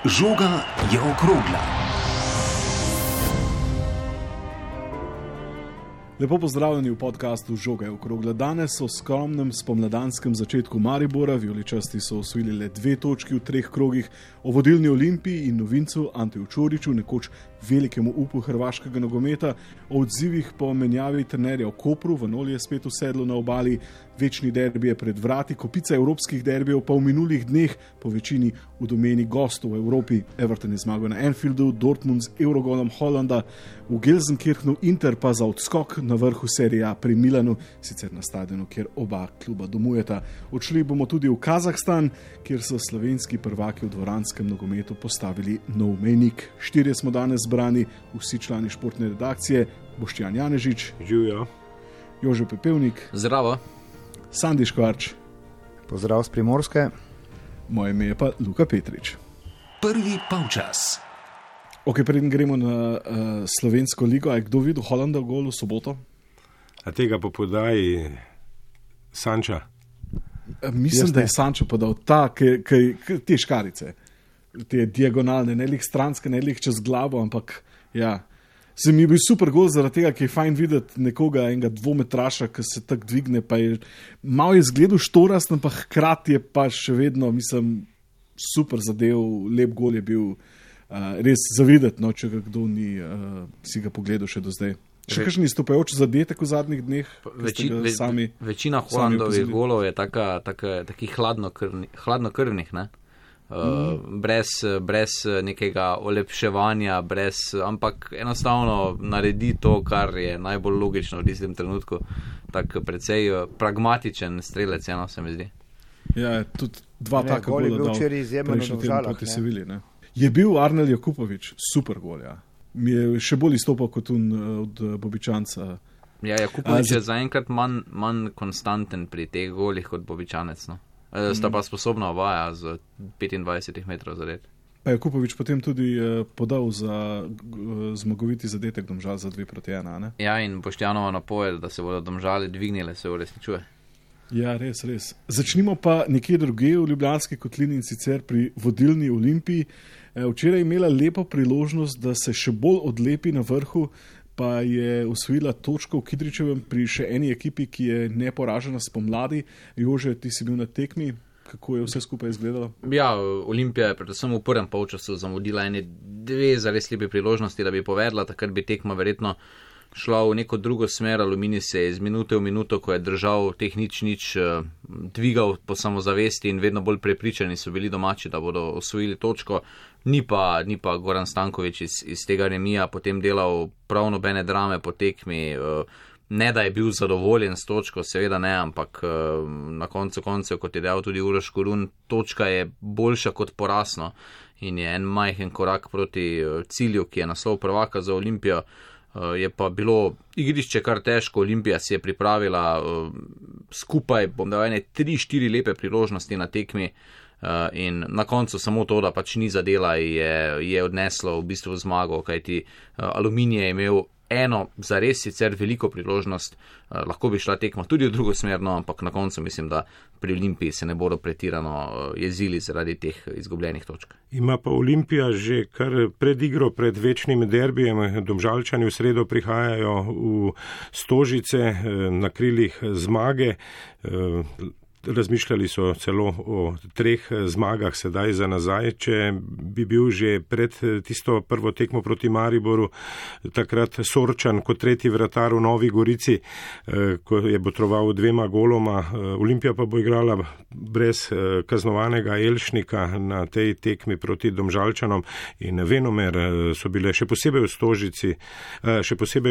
Žoga je okrogla. Lepo pozdravljeni v podkastu Žoga je okrogla. Danes o skromnem spomladanskem začetku Maribora. Vijoličasti so osvojili le 2 točki v 3 krogih, o vodilni Olimpiji in novincu Anteju Čoriću, nekoč velikemu upu hrvaškega nogometa, o odzivih po menjavi trenerja v Kopru, Vanoli je spet usedlo na obali, večni derbi je pred vrati, kopica evropskih derbijev pa v minulih dneh po večini v domeni gostov v Evropi. Everton je zmagal na Anfieldu, Dortmund z Eurogolom Holanda, v Gelsenkirchenu Inter pa za odskok na vrhu serije A pri Milanu, sicer na stadionu, kjer oba kluba domujeta. Odšli bomo tudi v Kazahstan, kjer so slovenski prvaki v dvoranskem nogometu postavili nov mejnik. 4 smo danes zbrani, vsi člani športne redakcije: Boštjan Janežič, Živjo, Jože Pepevnik, zdravo, Sandi Škvarč, pozdrav z Primorske, moje ime je pa Luka Petrič. Prvi polčas. Ok, preden gremo na slovensko ligo, je kdo videl Holanda v golu v soboto? a tega po podaji Sanča? Mislim, da je Sančo podal te škarice, te diagonalne, ne lih stranske, ne lih čez glavo, ampak ja. Se mi je bil super gol zaradi tega, ki je fajn videti nekoga, enega dvometraša, ki se tako dvigne, pa je malo izgledal štorast, ampak hkrati je pa še vedno, mislim, super zadev, lep gol je bil, res zavideti, no, če ga kdo ni si ga pogledal še do zdaj. Še kakšen izstopajoč zadetek v zadnjih dneh? Večina Holandovih golov je takih hladnokrvnih, ne? Brez nekega olepševanja, ampak enostavno naredi to, kar je najbolj logično v tistem trenutku. Tak precej pragmatičen strelec, eno se mi zdi. Ja, tudi 2 taka gola dal prejšnji teden proti Sevilji. Je bil Arnel Jakupović super gol, ja. Mi je še bolj izstopal kot od Bobičanca. Ja, Jakupović je zaenkrat manj konstanten pri teh golih kot Bobičanec, no. Sta pa sposobna obaja z 25 metrov zadet. Pa Jakupović potem tudi podal za zmagoviti zadetek Domžal za 2-1, ne? Ja, in Boštjanova napoved, da se bodo Domžale dvignile, se uresničuje. Ja, res. Začnimo pa nekje drugje v Ljubljanski kotlini, in sicer pri vodilni Olimpiji. Včeraj je imela lepo priložnost, da se še bolj odlepi na vrhu, pa je osvojila točko v Kidričevem pri še eni ekipi, ki je neporažena spomladi. Jože, ti si bil na tekmi, kako je vse skupaj izgledalo? Ja, Olimpija je predvsem v prvem polčasu zamudila 2 zares lepe priložnosti, da bi povedla, takrat bi tekma verjetno šla v neko drugo smer. Aluminij se je iz minute v minuto, ko je držal teh nič dvigal po samozavesti in vedno bolj prepričani so bili domači, da bodo osvojili točko. Ni pa Goran Stanković iz tega remija potem delal prav nobene drame po tekmi. Ne, da je bil zadovoljen s točko, seveda ne, ampak na koncu koncev, kot je dejal tudi Uroš Korun, točka je boljša kot porazno in je en majhen korak proti cilju, ki je naslov prvaka za Olimpijo. Je pa bilo igrišče kar težko, Olimpija si je pripravila skupaj, bom dal 3-4 lepe priložnosti na tekmi in na koncu samo to, da pač ni zadela, je odneslo v bistvu zmago, kajti Aluminij je imel eno zares sicer veliko priložnost, lahko bi šla tekma tudi v drugo smer, no, ampak na koncu mislim, da pri Olimpiji se ne bodo pretirano jezili zaradi teh izgubljenih točk. Ima pa Olimpija že kar pred igro, pred večnim derbijem. Domžalčani v sredo prihajajo v Stožice na krilih zmage. Razmišljali so celo o 3 zmagah sedaj za nazaj, če bi bil že pred tisto prvo tekmo proti Mariboru takrat Sorčan kot 3. vratar v Novi Gorici, ko je botroval 2 goloma. Olimpija pa bo igrala brez kaznovanega Elšnika na tej tekmi proti Domžalčanom in venomer so bile še posebej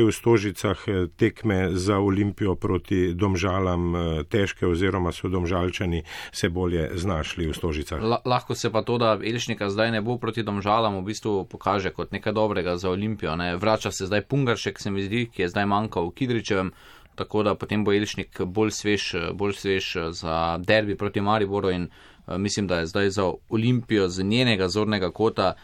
v Stožicah tekme za Olimpijo proti Domžalam težke, oziroma so Domžalčani se bolje znašli v Stožicah. Lahko se pa to, da Elšnika zdaj ne bo proti Domžalam, v bistvu pokaže kot nekaj dobrega za Olimpijo, ne? Vrača se zdaj Pungaršek, se mi zdi, ki je zdaj manjkal v Kidričevem, tako da potem bo Elšnik bolj svež za derbi proti Mariboru in mislim, da je zdaj za Olimpijo z njenega zornega kota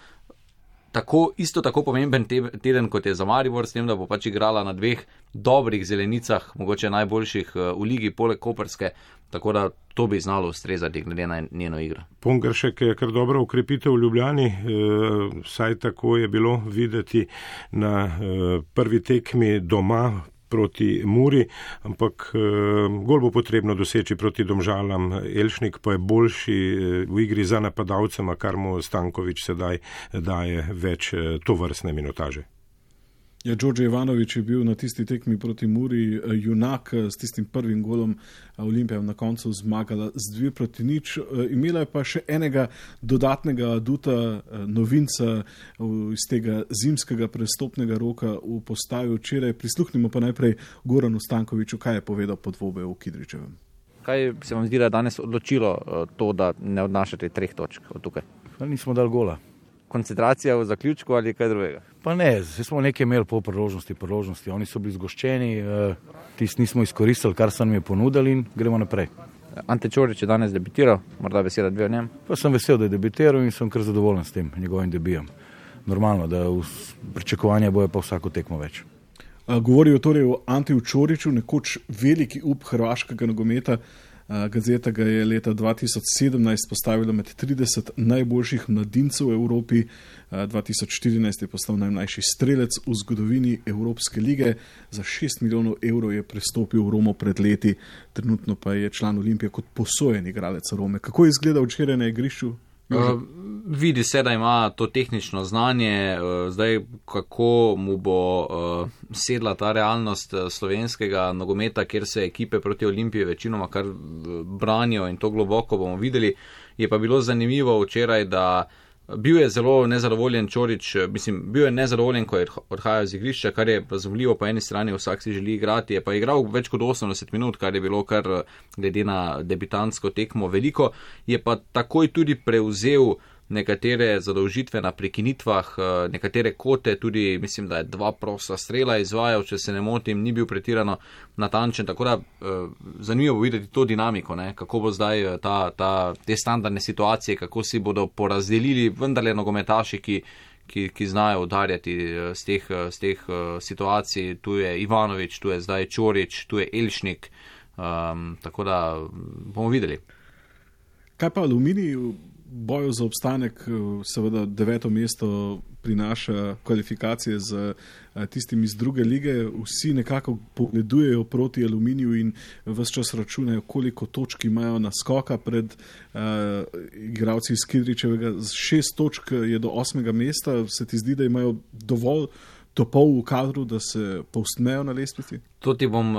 isto tako pomemben teden, kot je za Maribor, s tem, da bo pač igrala na 2 dobrih zelenicah, mogoče najboljših v ligi, poleg koprske, tako da to bi znalo ustrezati glede na njeno igro. Pongršek je kar dobro ukrepitev v Ljubljani, saj tako je bilo videti na prvi tekmi doma proti Muri, ampak gol bo potrebno doseči proti Domžalam. Elšnik pa je boljši v igri za napadalcema, kar mu Stanković sedaj daje več tovrstne minutaže. Ja, Đorđe Ivanović je bil na tisti tekmi proti Muri junak s tistim prvim golom. Olimpija na koncu zmagala z 2-0. Imela je pa še enega dodatnega aduta, novinca iz tega zimskega prestopnega roka v postaju včeraj. Prisluhnimo pa najprej Goranu Stankoviću, kaj je povedal po dvoboju v Kidričevem. Kaj se vam zdi, da je danes odločilo to, da ne odnašate 3 točk od tukaj? Nismo dali gola. Koncentracija v zaključku ali kaj drugega? Pa ne, smo nekaj imeli po priložnosti. Oni so bili zgoščeni, tisti nismo izkoristili, kar so nam je ponudili in gremo naprej. Ante Čorić je danes debitiral, morda beseda 2 o njem? Pa sem vesel, da je debitiral in sem kar zadovoljen s tem njegovim debijem. Normalno, da pričakovanja bojo pa vsako tekmo več. Govorijo torej o Antiju Čoriću, nekoč veliki up hrvaškega nogometa. Gazeta ga je leta 2017 postavila med 30 najboljših mladincev v Evropi. 2014 je postal najmlajši strelec v zgodovini Evropske lige. Za 6 milijonov evrov je prestopil v Romo pred leti. Trenutno pa je član Olimpije kot posojen igralec Rome. Kako je izgledal včeraj na igrišču? Vidi se, da ima to tehnično znanje, zdaj kako mu bo sedla ta realnost slovenskega nogometa, kjer se ekipe proti Olimpiji večinoma kar branijo in to globoko bomo videli. Je pa bilo zanimivo včeraj, da bil je zelo nezadovoljen Čorić, bil je nezadovoljen, ko je odhajal z igrišča, kar je razumljivo, po eni strani vsak si želi igrati, je pa igral več kot 80 minut, kar je bilo kar glede na debitantsko tekmo veliko, je pa takoj tudi prevzel nekatere zadolžitve na prekinitvah, nekatere kote, tudi mislim, da je 2 prosta strela izvajal, če se ne motim, ni bil pretirano natančen, tako da zanimivo bo videti to dinamiko, ne? Kako bo zdaj te standardne situacije, kako si bodo porazdelili vendarle nogometaši, ki znajo udarjati z teh situacij. Tu je Ivanović, tu je zdaj Čorić, tu je Elšnik, tako da bomo videli. Kaj pa Aluminij? Boju za obstanek, seveda 9. mesto prinaša kvalifikacije z tistimi iz druge lige. Vsi nekako pogledujejo proti Aluminiju in ves čas računajo, koliko točk imajo naskoka pred igralci iz Kidričevega. 6 točk je do 8. mesta. Se ti zdi, da imajo dovolj topov v kadru, da se povstmejo na lestvici? To ti bom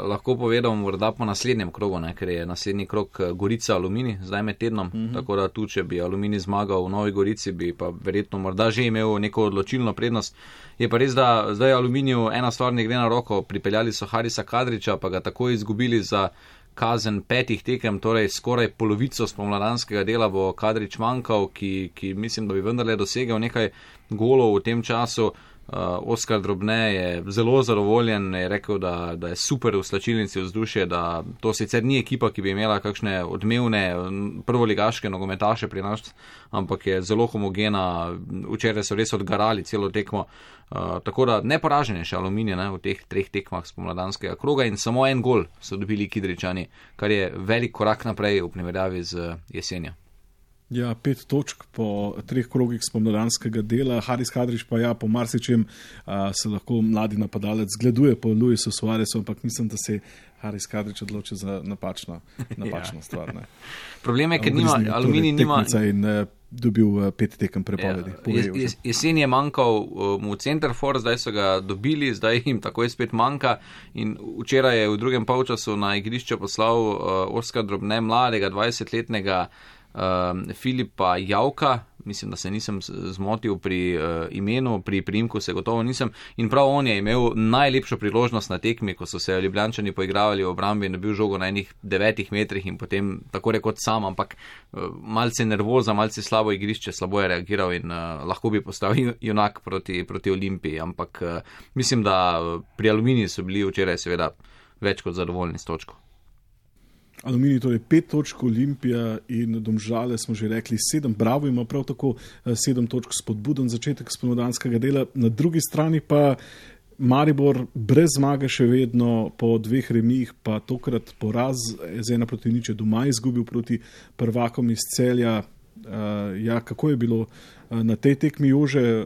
lahko povedal morda po naslednjem krogu, ne? Ker je naslednji krog Gorica Aluminij, zdaj med tednom, tako da tu, če bi Aluminij zmagal v Novi Gorici, bi pa verjetno morda že imel neko odločilno prednost. Je pa res, da zdaj Aluminiju ena stvar ne gre na roko, pripeljali so Harisa Kadrića, pa ga tako izgubili za kazen 5 tekem, torej skoraj polovico spomladanskega dela bo Kadrić manjkal, ki mislim, da bi vendarle dosegel nekaj golov v tem času. Oskar Drobne je zelo zadovoljen, je rekel, da je super v slačilnici vzdušje, da to sicer ni ekipa, ki bi imela kakšne odmevne prvoligaške nogometaše pri nas, ampak je zelo homogena, včeraj so res odgarali celo tekmo, tako da neporažen je še Aluminij v teh 3 tekmah spomladanskega kroga in samo 1 gol so dobili Kidričani, kar je velik korak naprej v primerjavi z jesenjo. Ja, 5 točk po 3 krogih spomladanskega dela. Haris Kadrić pa po marsičem se lahko mladi napadalec zgleduje po Luisu Suarezu, ampak mislim, da se Haris Kadrić odloči za napačno stvar. Ne. Problem je, ker Aluminij nima... In dobil 5 tekem prepovedi. Jesen je manjkal mu Centerfor, zdaj so ga dobili, zdaj jim takoj spet manjka in včeraj je v drugem polčasu na igrišče poslal Oskar Drobne, mladega 20-letnega Filipa Javka, mislim, da se nisem zmotil pri imenu, pri priimku se gotovo nisem, in prav on je imel najlepšo priložnost na tekmi, ko so se Ljubljančani poigravali v obrambi in dobil žogo na enih 9 metrih in potem tako rekot sam, ampak malce nervoza, malce slabo igrišče, slabo je reagiral in lahko bi postal junak proti Olimpiji, ampak mislim, da pri Aluminiji so bili včeraj seveda več kot zadovoljni s točko. Aluminij, torej 5 točk, Olimpija in Domžale smo že rekli 7, Bravo ima prav tako 7 točk, spodbuden začetek spomladanskega dela. Na drugi strani pa Maribor brez zmage še vedno, po 2 remijih, pa tokrat poraz z 1-0 doma izgubil proti prvakom iz Celja. Kako je bilo na tej tekmi, Jože?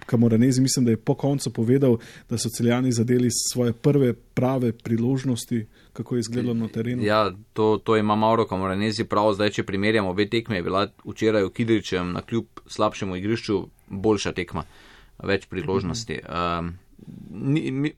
Camoranesi, mislim, da je po koncu povedal, da so Celjani zadeli svoje prve prave priložnosti. Kako je izgledalo na terenu? Ja, to ima Mauro Camoranesi prav. Zdaj, če primerjamo obe tekme, je bila včeraj v Kidričem na kljub slabšemu igrišču boljša tekma, več priložnosti.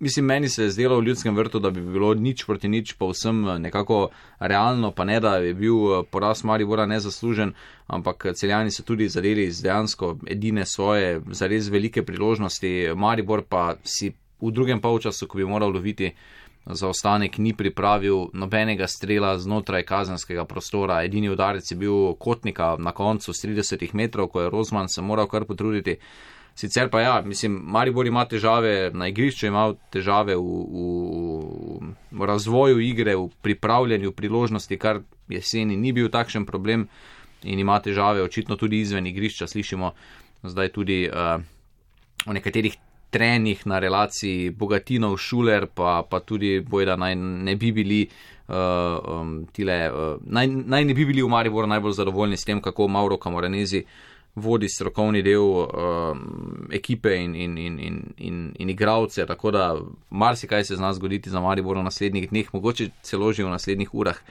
Mislim, meni se je zdelo v Ljudskem vrtu, da bi bilo 0-0 povsem nekako realno, pa ne, da je bil poraz Maribora nezaslužen, ampak Celjani so tudi zadeli z dejansko edine svoje zares velike priložnosti. Maribor pa si v drugem polčasu, ko bi moral loviti zaostanek, ni pripravil nobenega strela znotraj kazenskega prostora. Edini udarec je bil Kotnika na koncu s 30 metrov, ko je Rozman se moral kar potruditi. Sicer pa ja, mislim, Maribor ima težave na igrišču, ima težave v razvoju igre, v pripravljanju priložnosti, kar jeseni ni bil takšen problem, in ima težave očitno tudi izven igrišča. Slišimo zdaj tudi o nekaterih trenih na relaciji Bogatinov-Šuler, pa tudi bojda naj ne bi bili naj ne bi bili v Mariboru najbolj zadovoljni s tem, kako Mauro Camoranesi vodi strokovni del ekipe in igralce, tako da marsikaj se zna zgoditi za Maribor v naslednjih dneh, mogoče celo že v naslednjih urah.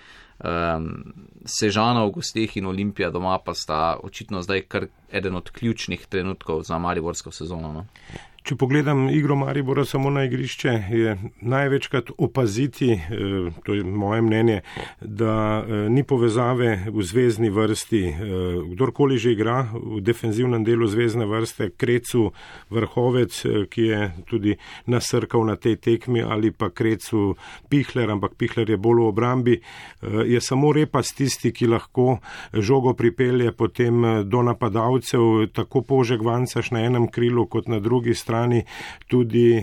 Sežana v gosteh in Olimpija doma pa sta očitno zdaj kar eden od ključnih trenutkov za mariborsko sezono. No? Če pogledam igro Maribora samo na igrišče, je največkrat opaziti, to je moje mnenje, da ni povezave v zvezni vrsti. Kdorkoli že igra v defenzivnem delu zvezne vrste, Krecu, Vrhovec, ki je tudi nasrkal na tej tekmi, ali pa Krecu Pihler, ampak Pihler je bolj v obrambi, je samo Repas tisti, ki lahko žogo pripelje potem do napadalcev, tako Požek Vancaš na enem krilu kot na drugi strani. Tudi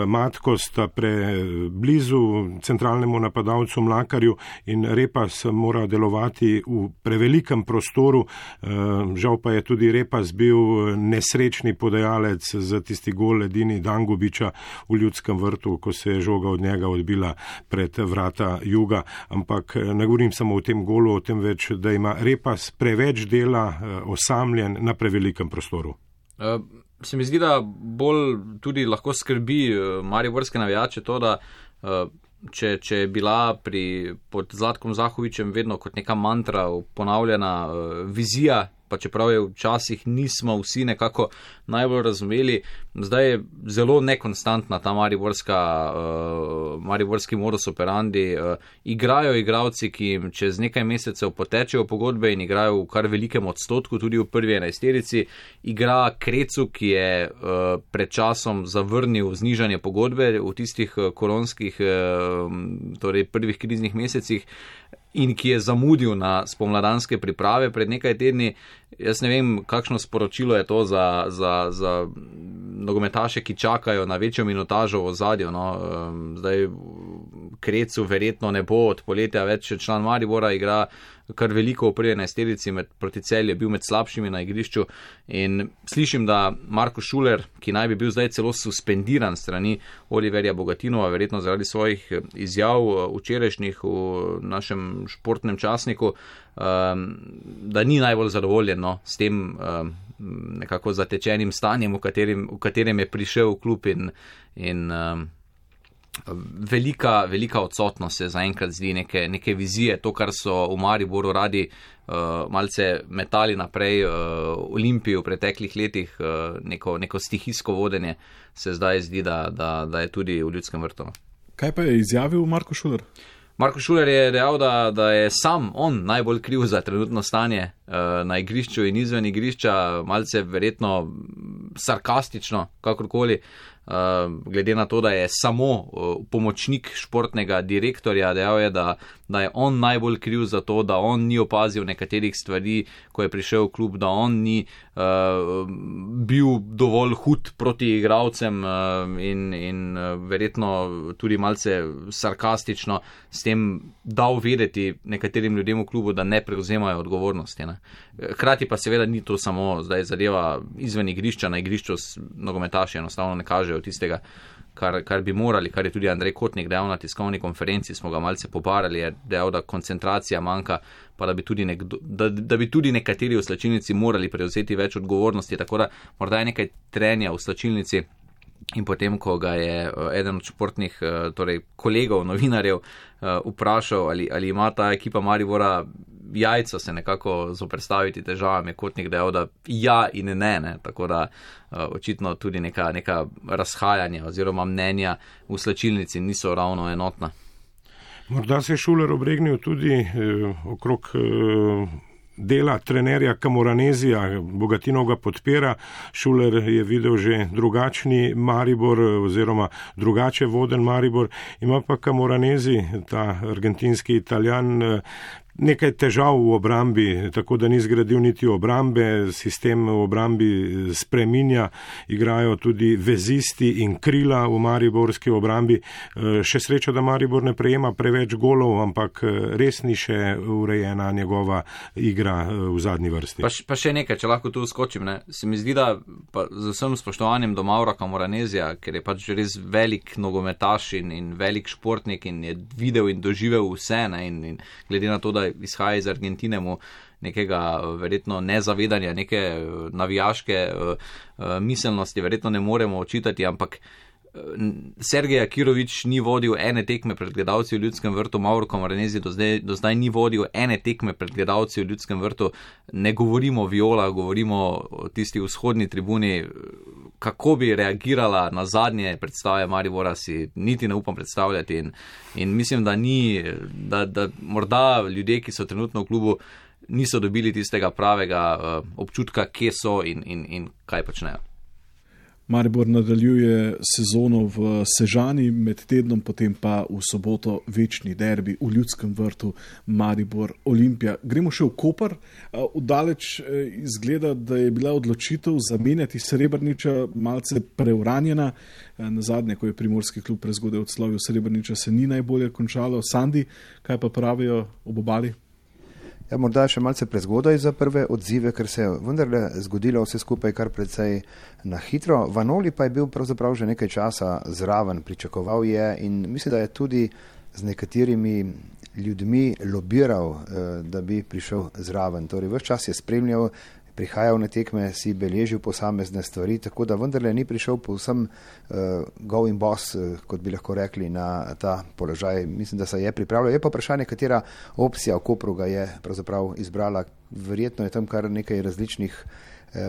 Matko sta preblizu centralnemu napadalcu Mlakarju in Repas mora delovati v prevelikem prostoru. Žal pa je tudi Repas bil nesrečni podajalec za tisti gol edini Dangubiča v Ljudskem vrtu, ko se je žoga od njega odbila pred vrata Juga. Ampak ne govorim samo o tem golu, o tem več, da ima Repas preveč dela, osamljen na prevelikem prostoru. Se mi zdi, da bolj tudi lahko skrbi mariborske navijače to, da če je bila pod Zlatkom Zahovičem vedno kot neka mantra ponavljana vizija, pa čeprav je včasih nismo vsi nekako najbolj razumeli, zdaj je zelo nekonstantna ta mariborski modus operandi. Igrajo igralci, ki jim čez nekaj mesecev potečejo pogodbe in igrajo v kar velikem odstotku, tudi v prvi 11-terici. Igra Krecu, ki je pred časom zavrnil znižanje pogodbe v tistih koronskih, torej prvih kriznih mesecih, in ki je zamudil na spomladanske priprave pred nekaj tedni. Jaz ne vem, kakšno sporočilo je to za nogometaše, ki čakajo na večjo minutažo v ozadju. No. Zdaj Krecu verjetno ne bo od poletja več član Maribora, igra kar veliko v prvi 11-terici, proti Celju je bil med slabšimi na igrišču, in slišim, da Marko Šuler, ki naj bi bil zdaj celo suspendiran strani Oliverja Bogatinova, verjetno zaradi svojih izjav včerajšnjih v našem športnem časniku, da ni najbolj zadovoljen s tem nekako zatečenim stanjem, v katerem je prišel v klub, in velika odsotnost se zaenkrat zdi neke vizije, to, kar so v Mariboru radi malce metali naprej Olimpiji v preteklih letih, neko stihijsko vodenje, se zdaj zdi, da je tudi v Ljudskem vrtu. Kaj pa je izjavil Marko Šuler? Marko Šuler je dejal, da je sam on najbolj kriv za trenutno stanje na igrišču in izven igrišča, malce verjetno sarkastično, kakorkoli. glede na to, da je samo pomočnik športnega direktorja, dejal je, da je on najbolj kriv za to, da on ni opazil nekaterih stvari, ko je prišel v klub, da on ni bil dovolj hud proti igralcem in verjetno tudi malce sarkastično s tem dal vedeti nekaterim ljudem v klubu, da ne prevzemajo odgovornosti. Ne. Hkrati pa seveda ni to samo zdaj zadeva izven igrišča, na igrišču nogometaši enostavno ne kažejo tistega, kar bi morali, kar je tudi Andrej Kotnik dejal na tiskovni konferenci, smo ga malce pobarali, je dejal, da koncentracija manjka, pa da bi tudi nekateri v slačilnici morali prevzeti več odgovornosti, tako da morda je nekaj trenja v slačilnici. In potem, ko ga je eden od športnih kolegov, novinarjev vprašal, ali ima ta ekipa Maribora jajca se nekako zoperstaviti težavam, je Kotnik dejal, da ja in ne. Tako da očitno tudi neka razhajanja oziroma mnenja v slačilnici niso ravno enotna. Morda se je Šuler obregnil tudi okrog dela trenerja Camoranezija, Bogatinov ga podpira, Šuler je videl že drugačni Maribor oziroma drugače voden Maribor, ima pa Camoranezi, ta argentinski Italijan, nekaj težav v obrambi, tako da ni zgradil niti obrambe, sistem v obrambi spreminja, igrajo tudi vezisti in krila v mariborski obrambi. Še sreča, da Maribor ne prejema preveč golov, ampak res ni še urejena njegova igra v zadnji vrsti. Pa še nekaj, če lahko tu skočim, ne? Se mi zdi, da pa z vsem spoštovanjem do Maura Camoranezija, ker je pač res velik nogometaš in velik športnik in je videl in doživel vse, ne? In glede na to, da izhaja iz Argentine mu nekega verjetno nezavedanja, neke navijaške miselnosti verjetno ne moremo očitati, ampak Sergej Akirović ni vodil ene tekme pred gledalci v Ljudskem vrtu, Mauro Camoranezi do zdaj ni vodil ene tekme pred gledalci v Ljudskem vrtu, ne govorimo o Viola, govorimo o tisti vzhodni tribuni. Kako bi reagirala na zadnje predstave Maribora, si niti ne upam predstavljati in mislim, da morda ljudje, ki so trenutno v klubu, niso dobili tistega pravega občutka, kje so in kaj počnejo. Maribor nadaljuje sezono v Sežani, med tednom potem pa v soboto večni derbi v Ljudskem vrtu Maribor Olimpija. Gremo še v Koper. Vdaleč izgleda, da je bila odločitev zamenjati Srebrniča malce preuranjena. Nazadnje, ko je Primorski klub prezgodaj odslovil Srebrniča, se ni najbolje končalo. Sandi, kaj pa pravijo ob obali? Ja, morda še malce prezgodaj za prve odzive, ker se je vendarle zgodilo vse skupaj kar precej na hitro. Vanoli pa je bil pravzaprav že nekaj časa zraven, pričakoval je in mislim, da je tudi z nekaterimi ljudmi lobiral, da bi prišel zraven. Torej, ves čas je spremljal, prihajal na tekme, si beležil posamezne stvari, tako da vendarle ni prišel povsem go in boss, kot bi lahko rekli, na ta položaj. Mislim, da se je pripravljal. Je pa vprašanje, katera opcija v Kopru ga je pravzaprav izbrala. Verjetno je tam kar nekaj različnih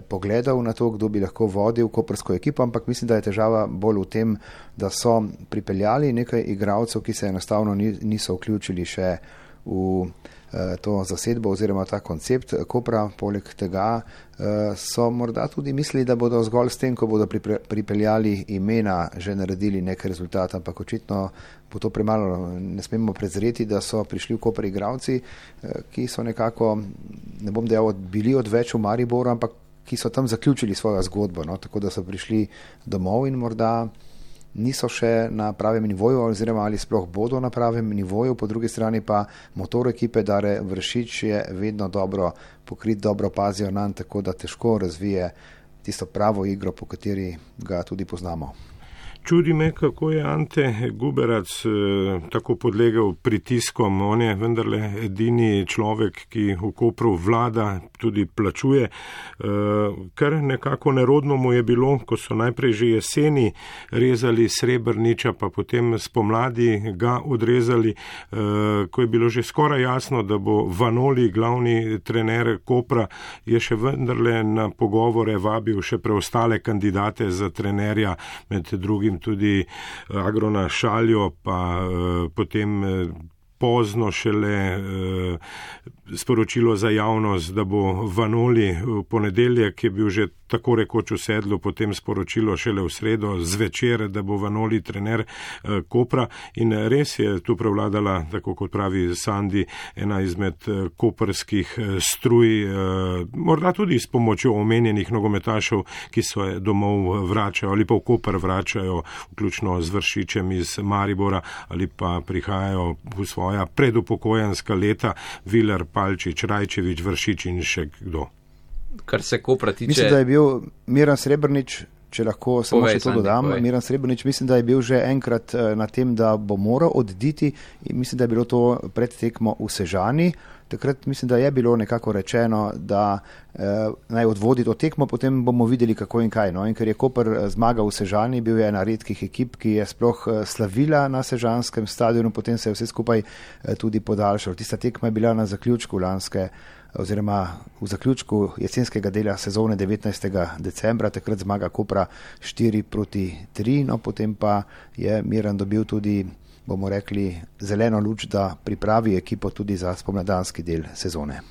pogledov na to, kdo bi lahko vodil koprsko ekipo, ampak mislim, da je težava bolj v tem, da so pripeljali nekaj igralcev, ki se enostavno niso vključili še v to zasedbo oziroma ta koncept Kopra. Poleg tega so morda tudi mislili, da bodo zgolj s tem, ko bodo pripeljali imena, že naredili nek rezultat, ampak očitno bo to premalo. Ne smemo prezreti, da so prišli v Koper igralci, ki so nekako, ne bom dejal, bili odveč v Mariboru, ampak ki so tam zaključili svojo zgodbo, no? Tako da so prišli domov in morda niso še na pravem nivoju oziroma ali sploh bodo na pravem nivoju. Po drugi strani pa motor ekipe Dare Vršič je vedno dobro pokrit, dobro pazijo nanj, tako da težko razvije tisto pravo igro, po kateri ga tudi poznamo. Čudi me, kako je Ante Guberac tako podlegel pritiskom. On je vendarle edini človek, ki v Kopru vlada, tudi plačuje. Kar nekako nerodno mu je bilo, ko so najprej že jeseni rezali Srebrniča, pa potem spomladi ga odrezali, ko je bilo že skoraj jasno, da bo Vanoli glavni trener Kopra, je še vendarle na pogovore vabil še preostale kandidate za trenerja, med drugim tudi Agrona Šaljo, pa potem pozno šele sporočilo za javnost, da bo Vanoli v ponedeljek, je bil že tako rekoč v sedlu, potem sporočilo šele v sredo zvečer, da bo Vanoli trener Kopra in res je tu prevladala, tako kot pravi Sandi, ena izmed koprskih struj, morda tudi s pomočjo omenjenih nogometašev, ki se domov vračajo ali pa v Koper vračajo, vključno z Vršičem iz Maribora ali pa prihajajo v svoja predupokojenska leta, Viler, Palčič, Rajčevič, Vršič in še kdo. Kar se Kopra tiče... Mislim, da je bil Miran Srebrnič, če lahko samo še to dodam, Miran Srebrnič, mislim, da je bil že enkrat na tem, da bo moral oditi in mislim, da je bilo to pred tekmo v Sežani. Takrat mislim, da je bilo nekako rečeno, da naj odvodi to tekmo, potem bomo videli kako in kaj. No? In ker je Koper zmagal v Sežani, bil je ena redkih ekip, ki je sploh slavila na sežanskem stadionu, potem se je vse skupaj tudi podaljšalo. Tista tekma je bila na zaključku oziroma v zaključku jesenskega dela sezone 19. decembra, takrat zmaga Kopra 4-3, no potem pa je Miran dobil tudi, bomo rekli, zeleno luč, da pripravi ekipo tudi za spomladanski del sezone.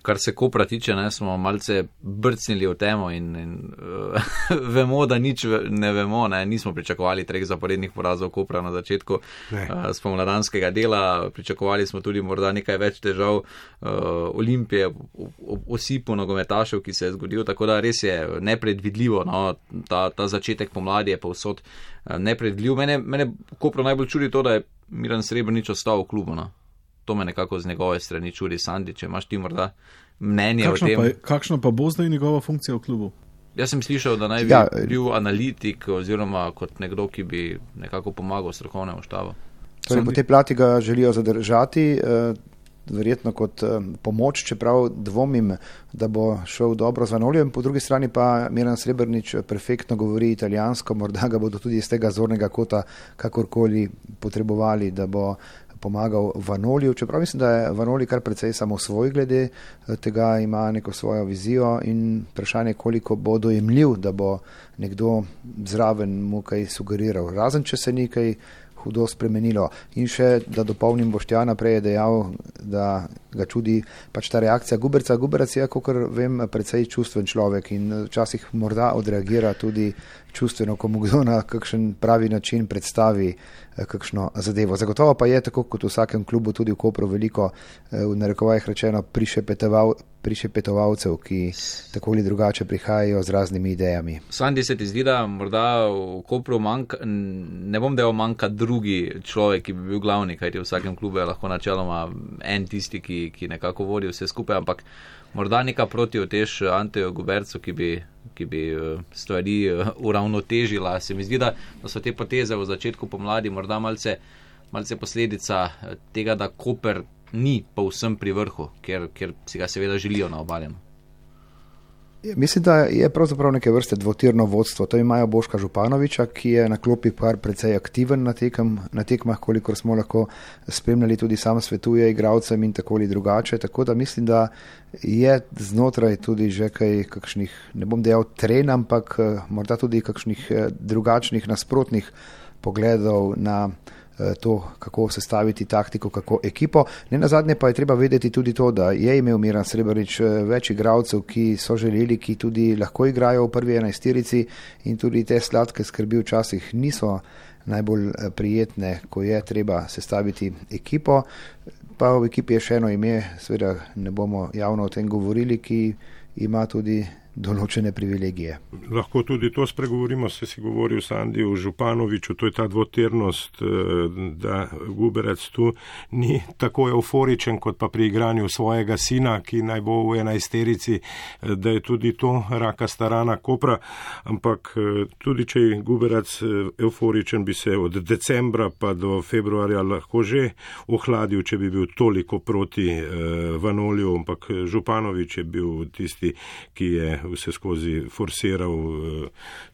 Kar se Kopra tiče, smo malce brcnili v temo in vemo, da nič ne vemo, nismo pričakovali 3 zaporednih porazov Kopra na začetku spomladanskega dela, pričakovali smo tudi morda nekaj več težav Olimpije, osipu nogometašev, ki se je zgodil, tako da res je nepredvidljivo, ta začetek pomladi je povsod nepredvidljiv. Mene Kopra najbolj čudi to, da je Miran Srebrnič ostal v klubu, To me nekako z njegove strani čudi. Sandi, če imaš ti morda mnenje o tem. Kakšna pa bo zdaj njegova funkcija v klubu? Jaz sem slišal, da naj bi bil analitik oziroma kot nekdo, ki bi nekako pomagal strokovnemu štabu. Torej, po tej plati ga želijo zadržati, verjetno kot pomoč, čeprav dvomim, da bo šel dobro z Vanolijem. Po drugi strani pa Miran Srebrnič perfektno govori italijansko, morda ga bodo tudi iz tega zornega kota kakorkoli potrebovali, da bo pomagal Vanoliju, čeprav mislim, da je Vanoli kar precej samosvoj glede tega, ima neko svojo vizijo in vprašanje, koliko bo dojemljiv, da bo nekdo zraven mu kaj sugeriral, razen če se nekaj hudo spremenilo. In še, da dopolnim, Boštjana prej je dejal, da ga čudi pač ta reakcija Guberca. Guberec je, kakor vem, precej čustven človek in včasih morda odreagira tudi čustveno, ko mu kdo na kakšen pravi način predstavi kakšno zadevo. Zagotovo pa je, tako kot v vsakem klubu, tudi v Kopru veliko, v narekovajih rečeno, prišepetovalcev, ki tako ali drugače prihajajo z raznimi idejami. Sandi, se ti zdi, da morda v Kopru ne bom dejal manjka drugi človek, ki bi bil glavni, kajti v vsakem klubu je lahko načeloma en tisti, ki nekako vodi vse skupaj, ampak morda neka protiotež Anteju Gubercu, ki bi stvari uravnotežila. Se mi zdi, da so te poteze v začetku pomladi morda malce posledica tega, da Koper ni povsem pri vrhu, ker si ga seveda želijo na Obaljem. Mislim, da je pravzaprav neke vrste dvotirno vodstvo. To imajo Boška Županoviča, ki je na klopi precej aktiven na tekmah, kolikor smo lahko spremljali, tudi sam svetuje igralcem in tako ali drugače. Tako da mislim, da je znotraj tudi že kaj kakšnih, ne bom dejal tren, ampak morda tudi kakšnih drugačnih nasprotnih pogledov na to, kako sestaviti taktiko, kako ekipo. Nenazadnje pa je treba vedeti tudi to, da je imel Miran Srebrnič več igralcev, ki so želeli, ki tudi lahko igrajo v prvi 11-terici in tudi te sladke skrbi včasih niso najbolj prijetne, ko je treba sestaviti ekipo. Pa v ekipi je še eno ime, seveda ne bomo javno o tem govorili, ki ima tudi določene privilegije. Lahko tudi to spregovorimo, se si govoril Sandi o Županoviču, to je ta dvotirnost, da Guberec tu ni tako euforičen kot pa pri igranju svojega sina, ki naj bo v 11-terici, da je tudi to rakasta rana Kopra, ampak tudi če je Guberec euforičen, bi se od decembra pa do februarja lahko že ohladil, če bi bil toliko proti Vanoliju, ampak Županovič je bil tisti, ki je vse skozi forsiral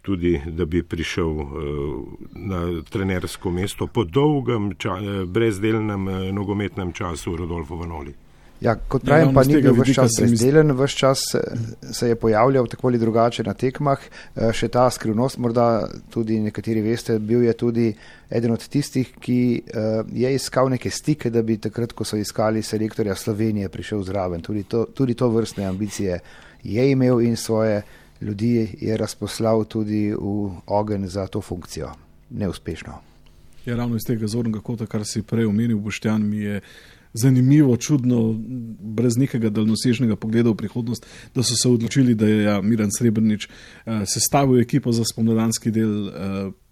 tudi, da bi prišel na trenersko mesto po dolgem, brezdelnem nogometnem času Rodolfo Vanoli. Ja, kot pravim, pa ni bil vse čas brezdelen, vse čas se je pojavljal tako ali drugače na tekmah. Še ta skrivnost, morda tudi nekateri veste, bil je tudi eden od tistih, ki je iskal neke stike, da bi takrat, ko so iskali selektorja Slovenije, prišel zraven. Tudi to vrstne ambicije je imel in svoje ljudi je razposlal tudi v ogenj za to funkcijo. Neuspešno. Ja, ravno iz tega zornega kota, kar si prej omenil, Boštjan, mi je zanimivo, čudno, brez nekega daljnosežnega pogleda v prihodnost, da so se odločili, da je Miran Srebrnič sestavil ekipo za spomladanski del,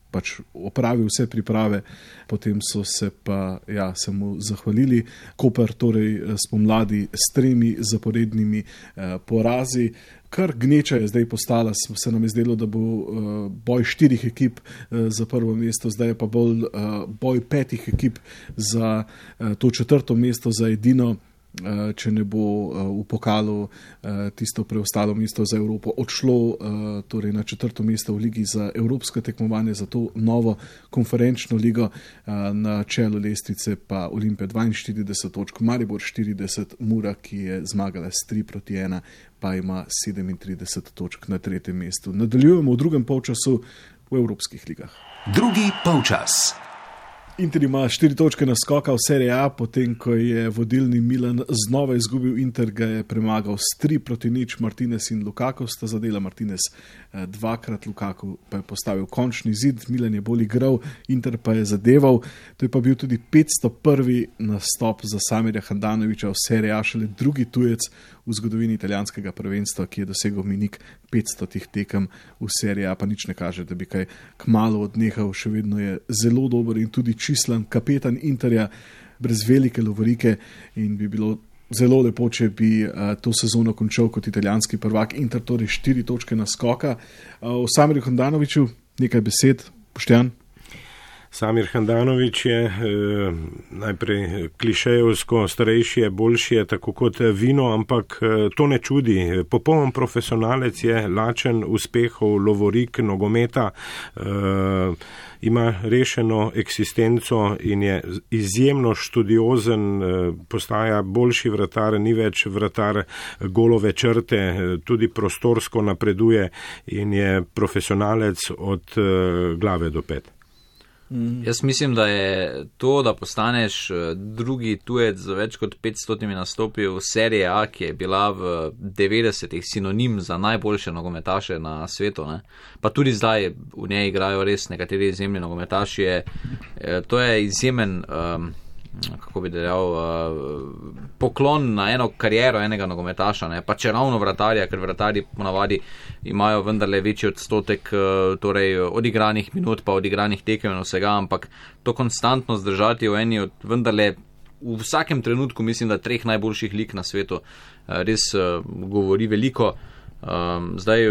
pač opravil vse priprave, potem so se pa se mu zahvalili. Koper torej spomladi s 3 zaporednimi porazi. Kar gneča je zdaj postala, se nam je zdelo, da bo boj 4 ekip za prvo mesto, zdaj je pa bolj boj 5 ekip za to 4. mesto, za edino, če ne bo v pokalu tisto preostalo mesto za Evropo odšlo torej na 4. mesto v ligi za evropsko tekmovanje, za to novo konferenčno ligo. Na čelu lestvice pa Olimpija 42 točk, Maribor 40, Mura, ki je zmagala s 3-1, pa ima 37 točk na 3. mestu. Nadaljujemo v drugem polčasu v evropskih ligah. Drugi polčas. Inter ima 4 točke naskoka v Serie A, potem ko je vodilni Milan znova izgubil. Inter ga je premagal s 3-0, Martinez in Lukaku sta zadela, Martinez 2-krat, Lukaku pa je postavil končni zid. Milan je bolj igral, Inter pa je zadeval. To je pa bil tudi 501. nastop za Samirja Handanovića v Serie A, šele drugi tujec v zgodovini italijanskega prvenstva, ki je dosegel mejnik 500 tekem v Serie A, pa nič ne kaže, da bi kaj kmalu odnehal. Še vedno je zelo dober in tudi čislan kapetan Interja, brez velike lovorike, in bi bilo zelo lepo, če bi to sezono končal kot italijanski prvak. Inter torej 4 točke naskoka. O Samirju Handanoviću nekaj besed, Boštjan. Samir Handanović je najprej klišejevsko, starejši je, boljši je, tako kot vino, ampak to ne čudi. Popoln profesionalec je, lačen uspehov, lovorik, nogometa, ima rešeno eksistenco in je izjemno študiozen, postaja boljši vratar, ni več vratar golove črte, tudi prostorsko napreduje in je profesionalec od glave do pet. Jaz mislim, da je to, da postaneš drugi tujec za več kot 500 nastopi v Serie A, ki je bila v 90-ih sinonim za najboljše nogometaše na svetu, ne? Pa tudi zdaj v njej igrajo res nekateri izjemni nogometaši, to je izjemen, kako bi dejal, poklon na eno kariero enega nogometaša, ne? Pa če ravno vratarja, ker vratarji ponavadi imajo vendarle večji odstotek torej odigranih minut, pa odigranih tekem in vsega, ampak to konstantno zdržati v eni od vendarle v vsakem trenutku, mislim, da 3 najboljših lig na svetu, res govori veliko. Zdaj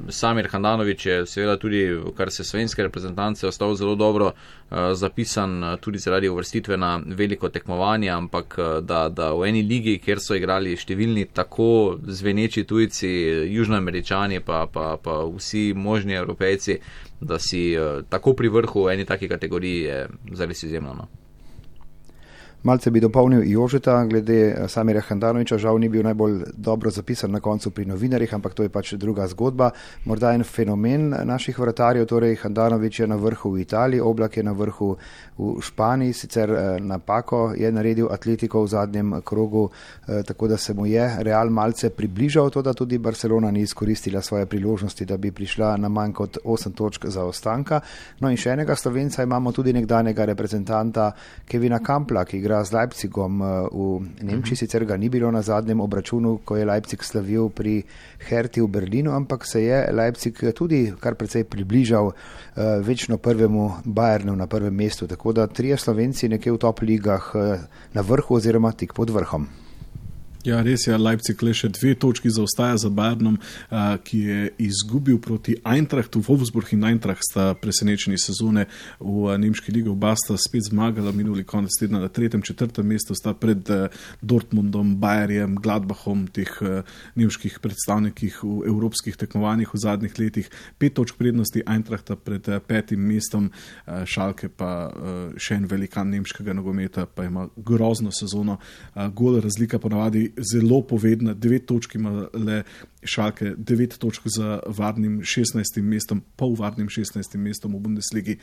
Samir Handanović je seveda tudi, kar se slovenske reprezentance, ostal zelo dobro zapisan tudi zaradi uvrstitve na veliko tekmovanje, ampak da v eni ligi, kjer so igrali številni tako zveneči tujci, južnoameričani pa vsi možni Evropejci, da si tako pri vrhu v eni taki kategoriji, je zares izjemno, no. Malce bi dopolnil Jožeta glede Samirja Handanovića, žal ni bil najbolj dobro zapisan na koncu pri novinarjih, ampak to je pač druga zgodba. Morda en fenomen naših vratarjev, torej Handanović je na vrhu v Italiji, Oblak je na vrhu v Španiji, sicer napako je naredil Atletico v zadnjem krogu, tako da se mu je Real malce približal, to da tudi Barcelona ni izkoristila svoje priložnosti, da bi prišla na manj kot 8 točk zaostanka. No in še enega Slovenca imamo, tudi nekdanjega reprezentanta Kevina Kampla, ki igra z Leipzigom v Nemčiji, sicer ga ni bilo na zadnjem obračunu, ko je Leipzig slavil pri Herti v Berlinu, ampak se je Leipzig tudi kar precej približal večno prvemu Bayernu na prvem mestu, tako da 3 Slovenci nekje v top ligah na vrhu oziroma tik pod vrhom. Ja, res je, Leipzig le še 2 točki zaostaja za Bayernom, ki je izgubil proti Eintrachtu. Wolfsburg in Eintracht sta presenečeni sezone v nemški ligi, oba sta spet zmagala minuli konec tedna na 3., 4. mestu, sta pred Dortmundom, Bayerjem, Gladbachom, teh nemških predstavnikih v evropskih tekmovanjih v zadnjih letih. 5 točk prednosti Eintrachta pred 5. mestom, Schalke pa še en velikan nemškega nogometa, pa ima grozno sezono. Gol razlika ponavadi zelo povedna, 9 točk ima le Schalke, 9 točk za varnim 16. mestom, polvarnim 16. mestom v Bundesligi,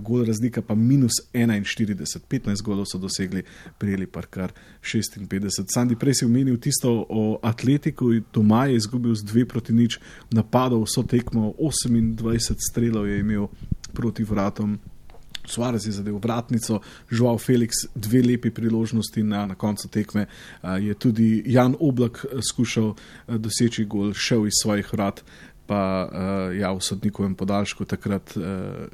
gol razlika pa -41, 15 golov so dosegli, prijeli pa kar 56. Sandi, prej si omenil tisto o Atletiku, doma je izgubil z 2-0, napadal vso tekmo, 28 strelov je imel proti vratom. Suarez je zadev vratnico, Joao Felix 2 lepi priložnosti na koncu tekme, je tudi Jan Oblak skušal doseči gol, šel iz svojih vrat, pa v sodnikovem podaljšku takrat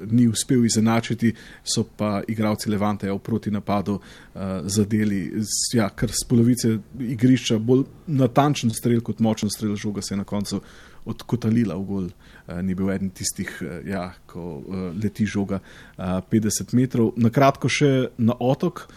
ni uspel izenačiti, so pa igralci Levanteja v protinapadu zadeli kar z polovice igrišča, bolj natančen strel kot močen strel, žoga se je na koncu odkotalila v gol. Ni bil eden tistih, ko leti žoga 50 metrov. Na kratko še na Otok.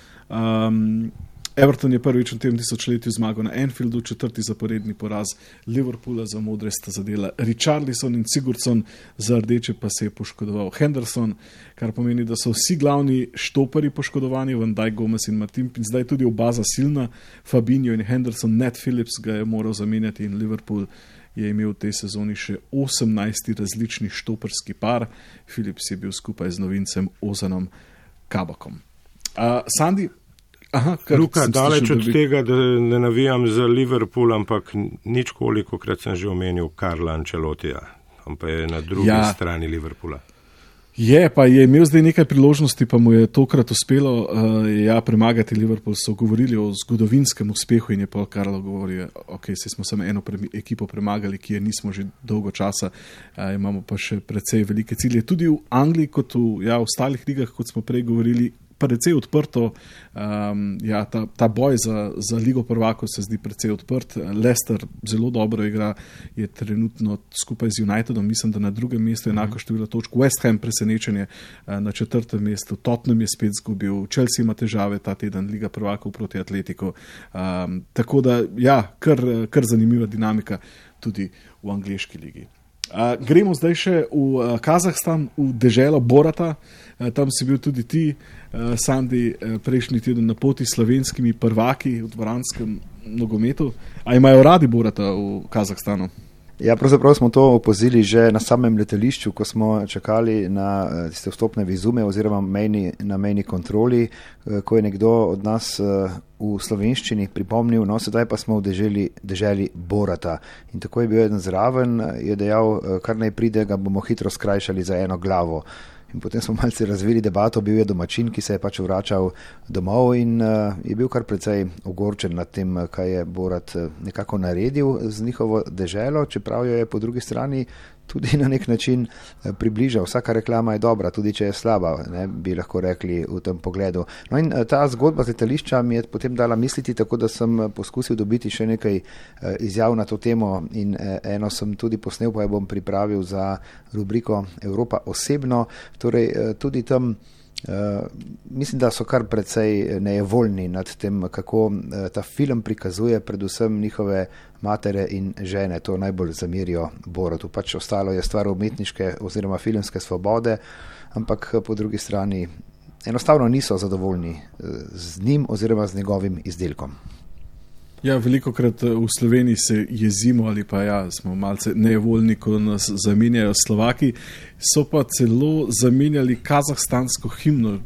Everton je prvič v tem tisočletju zmagal na Anfieldu, 4. zaporedni poraz Liverpoola za modre sta zadela Richarlison in Sigurdsson, za rdeče pa se je poškodoval Henderson, kar pomeni, da so vsi glavni štopari poškodovani, Van Dijk, Gomez in Matip, in zdaj tudi oba zasilna, Fabinho in Henderson, Nat Phillips ga je moral zamenjati in Liverpool je imel v tej sezoni še 18 različnih štoparski par. Phillips je bil skupaj z novincem Ozanom Kabakom. Sandi, Luka, daleč od tega, da ne navijam za Liverpool, ampak nič kolikokrat sem že omenil Carla Ancelotija, ampak je na drugi strani Liverpoola. Je imel zdaj nekaj priložnosti, pa mu je tokrat uspelo premagati Liverpool. So govorili o zgodovinskem uspehu in je Paul Carlo govoril, se smo samo eno ekipo premagali, ki je nismo že dolgo časa, imamo pa še precej velike cilje. Tudi v Angliji, kot v ostalih ligah, kot smo prej govorili, precej odprto, ta boj za Ligo prvakov se zdi precej odprt. Leicester zelo dobro igra, je trenutno skupaj z Unitedom, mislim, da na drugem mestu enako število točk. West Ham presenečenje na 4. mestu, Tottenham je spet zgubil, Chelsea ima težave ta teden, Liga prvakov proti Atletiku. Tako da, kar zanimiva dinamika tudi v angleški ligi. Gremo zdaj še v Kazahstan, v deželo Borata. Tam si bil tudi ti, Sandi, prejšnji teden na poti s slovenskimi prvaki v dvoranskem nogometu. A imajo radi Borata v Kazahstanu? Ja, pravzaprav smo to opazili že na samem letališču, ko smo čakali na tiste vstopne vizume oziroma na mejni kontroli, ko je nekdo od nas v slovenščini pripomnil, sedaj pa smo v deželi Borata. In tako je bil eden zraven, je dejal, kar naj pride, ga bomo hitro skrajšali za eno glavo. In potem smo malce razvili debato, bil je domačin, ki se je pač vračal domov in je bil kar precej ogorčen nad tem, kaj je Borat nekako naredil z njihovo deželo, čeprav jo je po drugi strani tudi na nek način približal. Vsaka reklama je dobra, tudi če je slaba, bi lahko rekli v tem pogledu. No in ta zgodba z letališča mi je potem dala misliti, tako da sem poskusil dobiti še nekaj izjav na to temo in eno sem tudi posnel, pa jo bom pripravil za rubriko Evropa osebno. Torej tudi tam mislim, da so kar precej nejevoljni nad tem, kako ta film prikazuje predvsem njihove matere in žene. To najbolj zamerijo Boratu. Pač ostalo je stvar umetniške oziroma filmske svobode, ampak po drugi strani enostavno niso zadovoljni z njim oziroma z njegovim izdelkom. Veliko krat v Sloveniji se jezimo ali pa smo malce nejevoljni, ko nas zamenjajo Slovaki. So pa celo zamenjali kazahstansko himno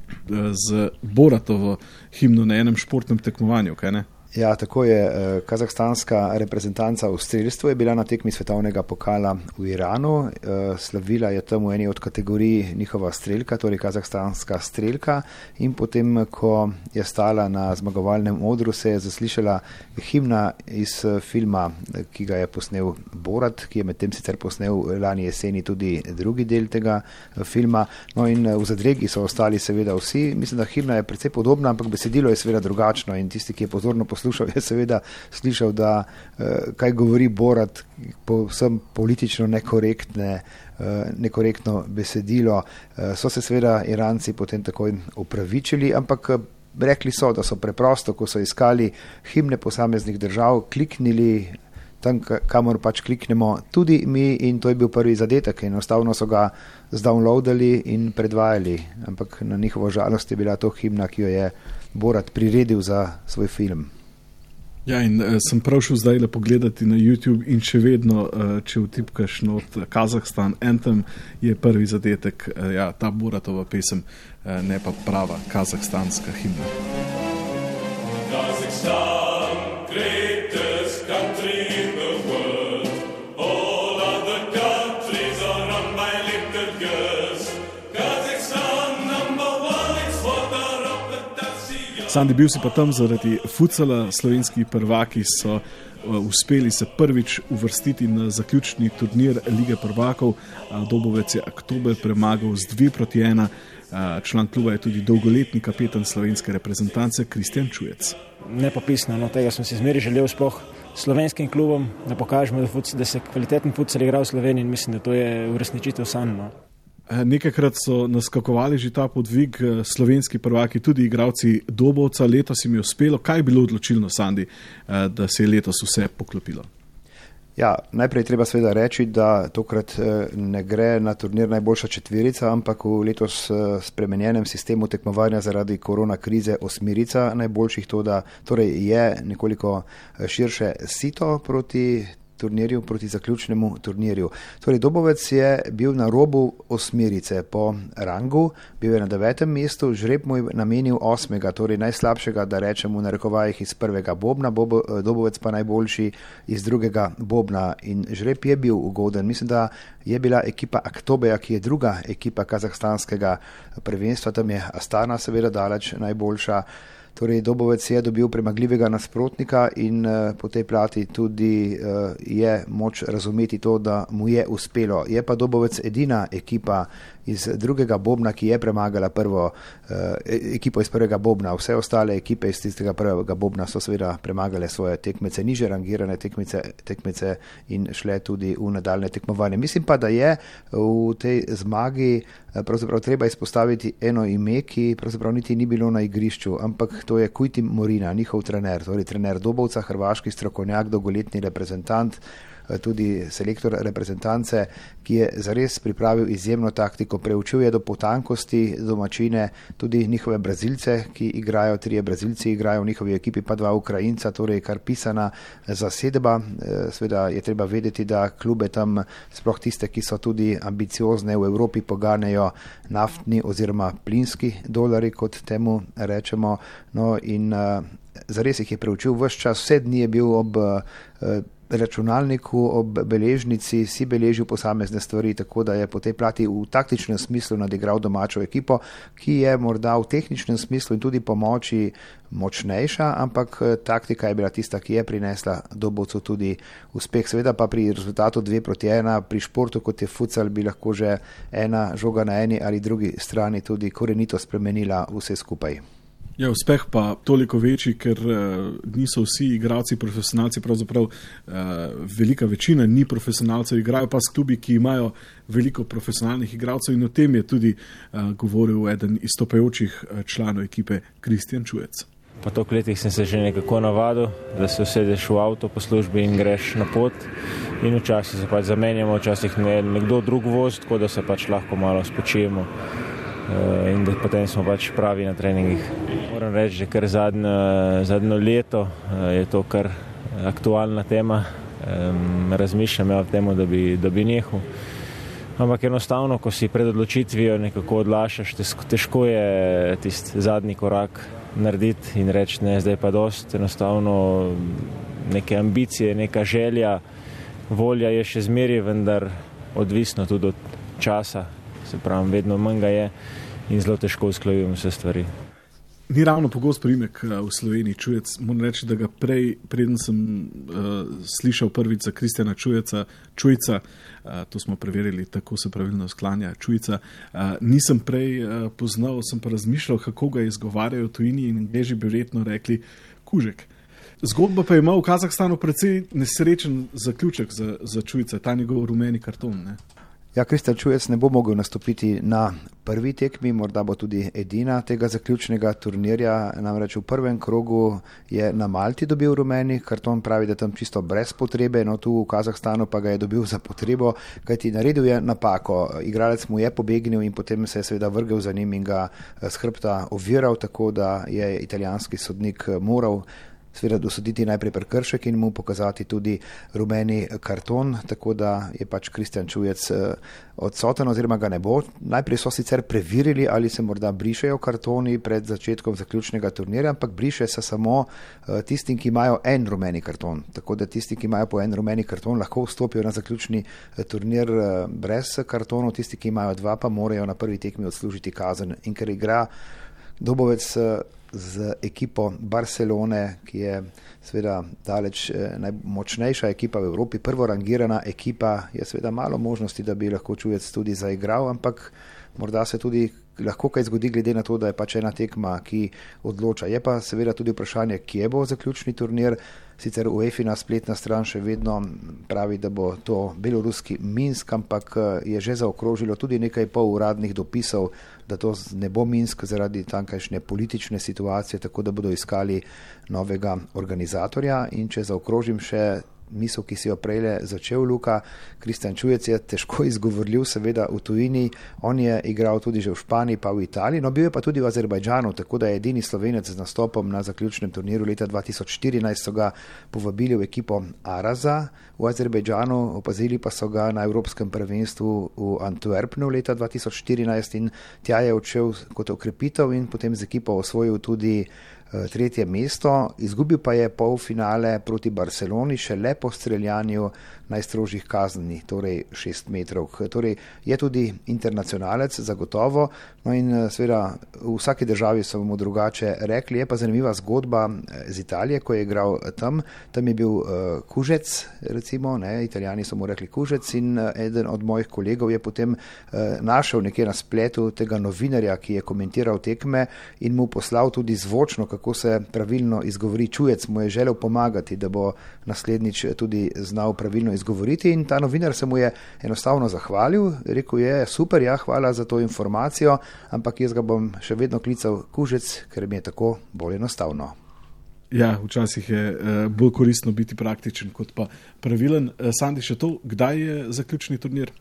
z Boratovo himno na enem športnem tekmovanju, kaj ne? Ja, tako je. Kazahstanska reprezentanca v strelstvu je bila na tekmi svetovnega pokala v Iranu. Slavila je tam v eni od kategorij njihova strelka, torej kazahstanska strelka, in potem, ko je stala na zmagovalnem odru, se je zaslišala himna iz filma, ki ga je posnel Borat, ki je medtem sicer posnel lani jeseni tudi drugi del tega filma. No in v zadregi so ostali seveda vsi. Mislim, da himna je precej podobna, ampak besedilo je seveda drugačno in tisti, ki je pozorno poslušal, je seveda slišal, da kaj govori Borat, povsem politično nekorektno besedilo. So se seveda Iranci potem takoj upravičili, ampak rekli so, da so preprosto, ko so iskali himne posameznih držav, kliknili tam, kamor pač kliknemo tudi mi, in to je bil prvi zadetek. Enostavno so ga zdownloadali in predvajali, ampak na njihovo žalost je bila to himna, ki jo je Borat priredil za svoj film. Ja, in sem prav šel zdaj pogledati na YouTube in še vedno, če vtipkaš not Kazahstan Anthem, je prvi zadetek, ta Boratova pesem, ne pa prava kazahstanska himna. Kazakhstan, greatest country in the world. All other countries are run by little girls. Kazakhstan number one, it's water of the Dacia. Sandi, bil si pa tam zaradi futsala, slovenski prvaki so uspeli se prvič uvrstiti na zaključni turnir Lige prvakov. Dobovec je Aktober premagal z 2-1. Član kluba je tudi dolgoletni kapetan slovenske reprezentance Kristjan Čujec. Nepopisno, tega sem si zmeri želel sploh slovenskim klubom, da pokažemo, da se kvaliteten futsal igra v Sloveniji, in mislim, da to je uresničitev sanj. Nekajkrat so naskakovali že ta podvig slovenski prvaki, tudi igralci Dobovca. Letos jim je uspelo. Kaj je bilo odločilno, Sandi, da se je letos vse poklopilo? Ja, najprej treba seveda reči, da tokrat ne gre na turnir najboljša četverica, ampak v letos spremenjenem sistemu tekmovanja zaradi korona krize osmerica najboljših, torej je nekoliko širše sito proti turnirju, proti zaključnemu turnirju. Torej, Dobovec je bil na robu osmerice po rangu, bil je na 9. mestu, žreb mu je namenil 8., torej najslabšega, da rečemo v narekovajih, iz prvega bobna, Dobovec pa najboljši iz drugega bobna, in žreb je bil ugoden. Mislim, da je bila ekipa Aktobeja, ki je druga ekipa kazahstanskega prvenstva, tam je Astana seveda daleč najboljša. Torej, Dobovec je dobil premagljivega nasprotnika in po tej plati tudi je moč razumeti to, da mu je uspelo. Je pa Dobovec edina ekipa iz drugega bobna, ki je premagala ekipo iz prvega bobna. Vse ostale ekipe iz tistega prvega bobna so seveda premagale svoje tekmece, niže rangirane tekmece in šle tudi v nadaljne tekmovanje. Mislim pa, da je v tej zmagi pravzaprav treba izpostaviti eno ime, ki pravzaprav niti ni bilo na igrišču, ampak to je Kujtim Morina, njihov trener, torej trener Dobovca, hrvaški strokovnjak, dolgoletni reprezentant, tudi selektor reprezentance, ki je zares pripravil izjemno taktiko, preučil je do potankosti domačine, tudi njihove Brazilce, ki igrajo, 3 Brazilci igrajo v njihovi ekipi, pa 2 Ukrajinca, torej kar pisana zasedba. Seveda je treba vedeti, da klube tam, sploh tiste, ki so tudi ambiciozne v Evropi, poganjajo naftni oziroma plinski dolari, kot temu rečemo. No, in zares jih je preučil ves čas, vse dni je bil ob računalniku, ob beležnici, si beležil posamezne stvari, tako da je po tej plati v taktičnem smislu nadigral domačo ekipo, ki je morda v tehničnem smislu in tudi po moči močnejša, ampak taktika je bila tista, ki je prinesla Dobovcu tudi uspeh. Seveda pa pri rezultatu 2-1, pri športu, kot je futsal, bi lahko že ena žoga na eni ali drugi strani tudi korenito spremenila vse skupaj. Ja, uspeh pa toliko večji, ker niso vsi igralci profesionalci, pravzaprav velika večina ni profesionalcev, igrajo pa s klubi, ki imajo veliko profesionalnih igralcev, in o tem je tudi govoril eden izstopajočih članov ekipe Kristjan Čujec. Po toliko letih sem se že nekako navadil, da se usedeš v avto po službi in greš na pot, in včasih se pač zamenjamo, včasih nekdo drug vozi, tako da se pač lahko malo spočijemo. In da potem smo pač pravi na treningih. Moram reči, že kar zadnjo leto je to kar aktualna tema. Razmišljam o tem, da bi nehal. Ampak enostavno, ko si pred odločitvijo nekako odlašaš, težko je tisti zadnji korak narediti in reči, ne, zdaj pa dost. Enostavno neke ambicije, neka želja, volja je še zmeraj, vendar odvisno tudi od časa. Se pravi, vedno manj ga je in zelo težko usklajujem vse stvari. Ni ravno pogost priimek v Sloveniji Čujec. Moram reči, da ga preden sem slišal prvič za Kristjana Čujca, to smo preverili, tako se pravilno sklanja Čujca, nisem prej poznal, sem pa razmišljal, kako ga izgovarjajo v tujini, in Angleži bi verjetno rekli Kužek. Zgodba pa ima v Kazahstanu precej nesrečen zaključek za Čujca, ta njegov rumeni karton, ne? Ja, Kristjan Čujec ne bo mogel nastopiti na prvi tekmi, morda bo tudi edina tega zaključnega turnirja, namreč v prvem krogu je na Malti dobil rumeni karton, pravi, da tam čisto brez potrebe, no tu v Kazahstanu pa ga je dobil za potrebo, kajti naredil je napako. Igralec mu je pobegnil in potem se je seveda vrgel za njim in ga s hrbta oviral, tako da je italijanski sodnik moral seveda dosoditi najprej prekršek in mu pokazati tudi rumeni karton, tako da je pač Kristjan Čujec odsoten oziroma ga ne bo. Najprej so sicer preverili, ali se morda brišejo kartoni pred začetkom zaključnega turnirja, ampak briše se samo tistim, ki imajo en rumeni karton. Tako da tisti, ki imajo po en rumeni karton, lahko vstopijo na zaključni turnir brez kartonov, tisti, ki imajo dva, pa morajo na prvi tekmi odslužiti kazen. In ker igra Dobovec z ekipo Barcelone, ki je seveda daleč najmočnejša ekipa v Evropi, prvorangirana ekipa, je seveda malo možnosti, da bi lahko Čujec tudi zaigral, ampak morda se tudi lahko kaj zgodi glede na to, da je pač ena tekma, ki odloča. Je pa seveda tudi vprašanje, kje bo zaključni turnir. Sicer UEFA spletna stran še vedno pravi, da bo to beloruski Minsk, ampak je že zaokrožilo tudi nekaj poluradnih dopisov, da to ne bo Minsk zaradi tankajšnje politične situacije, tako da bodo iskali novega organizatorja. In če zaokrožim še misel, ki si jo prejle začel Luka, Kristjan Čujec je težko izgovorljiv, seveda v tujini, on je igral tudi že v Španiji pa v Italiji, no bil je pa tudi v Azerbajdžanu, tako da je edini Slovenec z nastopom na zaključnem turniru leta 2014, so ga povabili v ekipo Araza v Azerbajdžanu, opazili pa so ga na Evropskem prvenstvu v Antwerpnu leta 2014 in tja je odšel kot okrepitev in potem z ekipo osvojil tudi tretje mesto, izgubil pa je polfinale proti Barceloni šele po streljanju najstrožjih kazni, torej 6 metrov. Torej je tudi internacionalec, zagotovo, no in seveda v vsaki državi so mu drugače rekli. Je pa zanimiva zgodba z Italije, ko je igral tam je bil Kužec, recimo, Italijani so mu rekli Kužec in eden od mojih kolegov je potem našel nekje na spletu tega novinarja, ki je komentiral tekme in mu poslal tudi zvočno, kako se pravilno izgovori Čujec, mu je želel pomagati, da bo naslednjič tudi znal pravilno izgovoriti in ta novinar se mu je enostavno zahvalil, rekel je super, ja, hvala za to informacijo, ampak jaz ga bom še vedno klical Kužec, ker mi je tako bolj enostavno. Ja, včasih je bolj koristno biti praktičen kot pa pravilen. Sandi, še to, kdaj je zaključni turnir?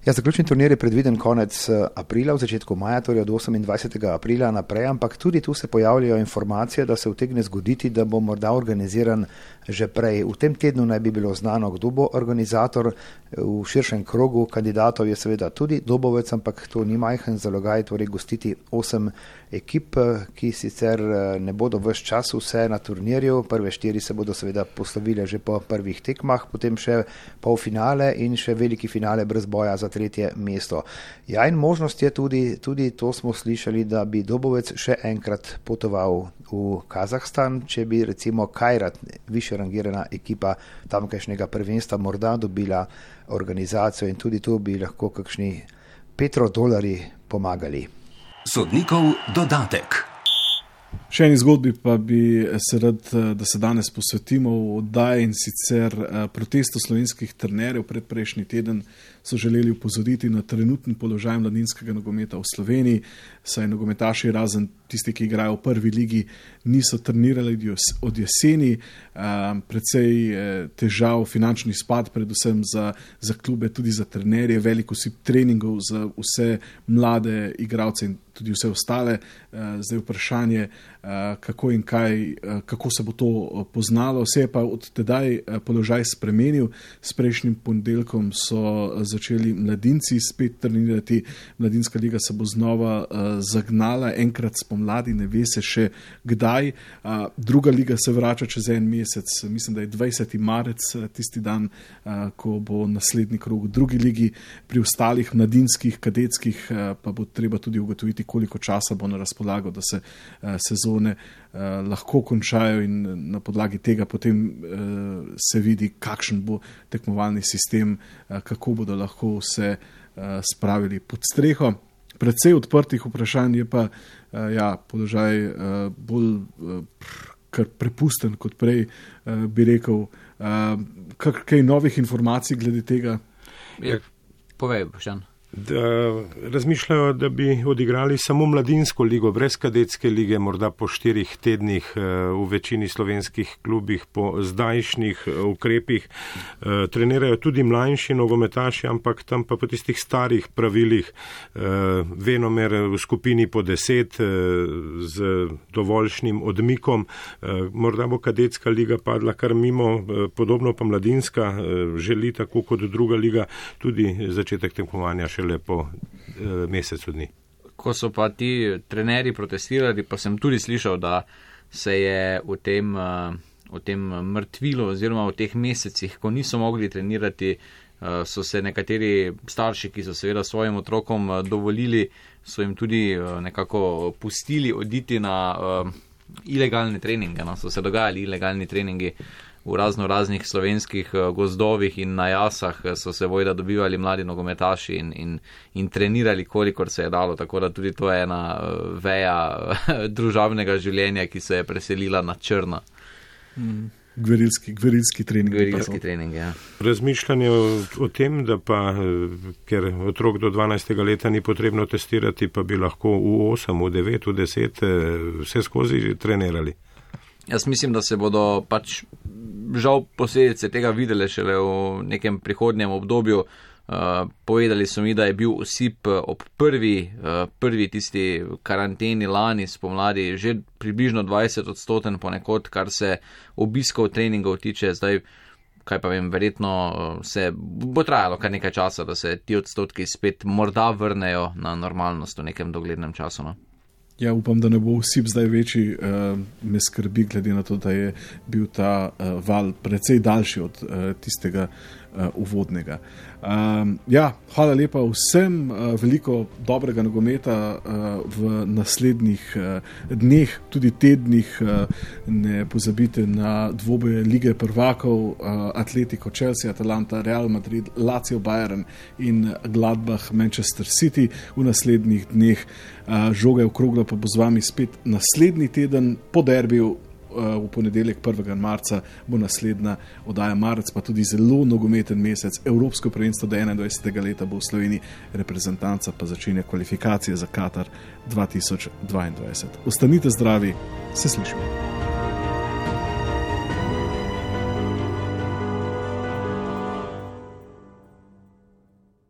Ja, zaključni turnir je predviden konec aprila, v začetku maja, torej od 28. aprila naprej, ampak tudi tu se pojavljajo informacije, da se utegne zgoditi, da bo morda organiziran že prej. V tem tednu naj bi bilo znano, kdo bo organizator. V širšem krogu kandidatov je seveda tudi Dobovec, ampak to ni majhen zalogaj, torej gostiti 8 ekip, ki sicer ne bodo ves čas vse na turnirju. Prve 4 se bodo seveda poslovile že po prvih tekmah, potem še polfinale in še veliki finale brez boja za tretje mesto. Ja, in možnost je tudi to smo slišali, da bi Dobovec še enkrat potoval v Kazahstan, če bi recimo Kajrat, više rangirana ekipa tamkajšnjega prvenstva, morda dobila organizacijo in tudi tu bi lahko kakšni petrodolarji pomagali. Sodnikov dodatek. Še eni zgodbi pa bi se rad, da se danes posvetimo v oddaji, in sicer protestu slovenskih trenerjev. Predprejšnji teden so želeli upozoriti na trenutni položaj mladinskega nogometa v Sloveniji, saj nogometaši razen tisti, ki igrajo v prvi ligi, niso trenirali od jeseni. Precej težav, finančni spad, predvsem za klube, tudi za trenerje, veliko osip treningov za vse mlade igralce in tudi vse ostale. Zdaj vprašanje, kako in kaj, kako se bo to poznalo. Se je pa od tedaj položaj spremenil. S prejšnjim ponedeljkom so začeli mladinci spet trenirati. Mladinska liga se bo znova zagnala, enkrat spomladi, ne ve se še kdaj. Druga liga se vrača čez en mesec, mislim, da je 20. marec tisti dan, ko bo naslednji krog v drugi ligi. Pri ostalih mladinskih, kadetskih pa bo treba tudi ugotoviti, koliko časa bo na razpolago, da se sezone lahko končajo in na podlagi tega potem se vidi, kakšen bo tekmovalni sistem, kako bodo lahko vse spravili pod streho. Predvsej odprtih vprašanj je pa položaj bolj kar prepusten kot prej, bi rekel. Kaj novih informacij glede tega? Povej, Boštjan. Da razmišljajo, da bi odigrali samo mladinsko ligo, brez kadetske lige, morda po 4 tednih v večini slovenskih klubih, po zdajšnjih ukrepih. Trenirajo tudi mlajši nogometaši, ampak tam pa po tistih starih pravilih, venomer v skupini po 10 z dovoljšnim odmikom. Morda bo kadetska liga padla kar mimo, podobno pa mladinska želi, tako kot druga liga, tudi začetek tekmovanja šele po mesecu dni. Ko so pa ti trenerji protestirali, pa sem tudi slišal, da se je v tem mrtvilu oziroma v teh mesecih, ko niso mogli trenirati, so se nekateri starši, ki so seveda svojim otrokom dovolili, so jim tudi nekako pustili oditi na ilegalne treninge. No? So se dogajali ilegalni treningi v raznih slovenskih gozdovih in na jasah, so se vojda dobivali mladi nogometaši in trenirali, kolikor se je dalo, tako da tudi to je ena veja družabnega življenja, ki se je preselila na črno. Gverilski trening. Gverilski trening, ja. Razmišljanje o tem, da pa, ker otrok do 12. leta ni potrebno testirati, pa bi lahko v 8, v 9, v 10 vse skozi trenirali. Jaz mislim, da se bodo pač žal posledice tega videle šele v nekem prihodnjem obdobju. Povedali so mi, da je bil osip ob prvi tisti karanteni lani spomladi že približno 20% ponekod, kar se obiskov treningov tiče. Zdaj, kaj pa vem, verjetno se bo trajalo kar nekaj časa, da se ti odstotki spet morda vrnejo na normalnost v nekem doglednem času. No? Ja, upam, da ne bo osip zdaj večji, me skrbi, glede na to, da je bil ta val precej daljši od tistega uvodnega. Ja, hvala lepa vsem, veliko dobrega nogometa v naslednjih dneh, tudi tednih. Ne pozabite na dvoboje Lige prvakov, Atletico Chelsea, Atalanta, Real Madrid, Lazio Bayern in Gladbach Manchester City v naslednjih dneh. Žoga je okrogla, pa bo z vami spet naslednji teden po derbiju. V ponedeljek 1. marca bo naslednja oddaja marec, pa tudi zelo nogometen mesec. Evropsko prvenstvo do 21. leta bo v Sloveniji, reprezentanca pa začenja kvalifikacije za Katar 2022. Ostanite zdravi, se slišimo.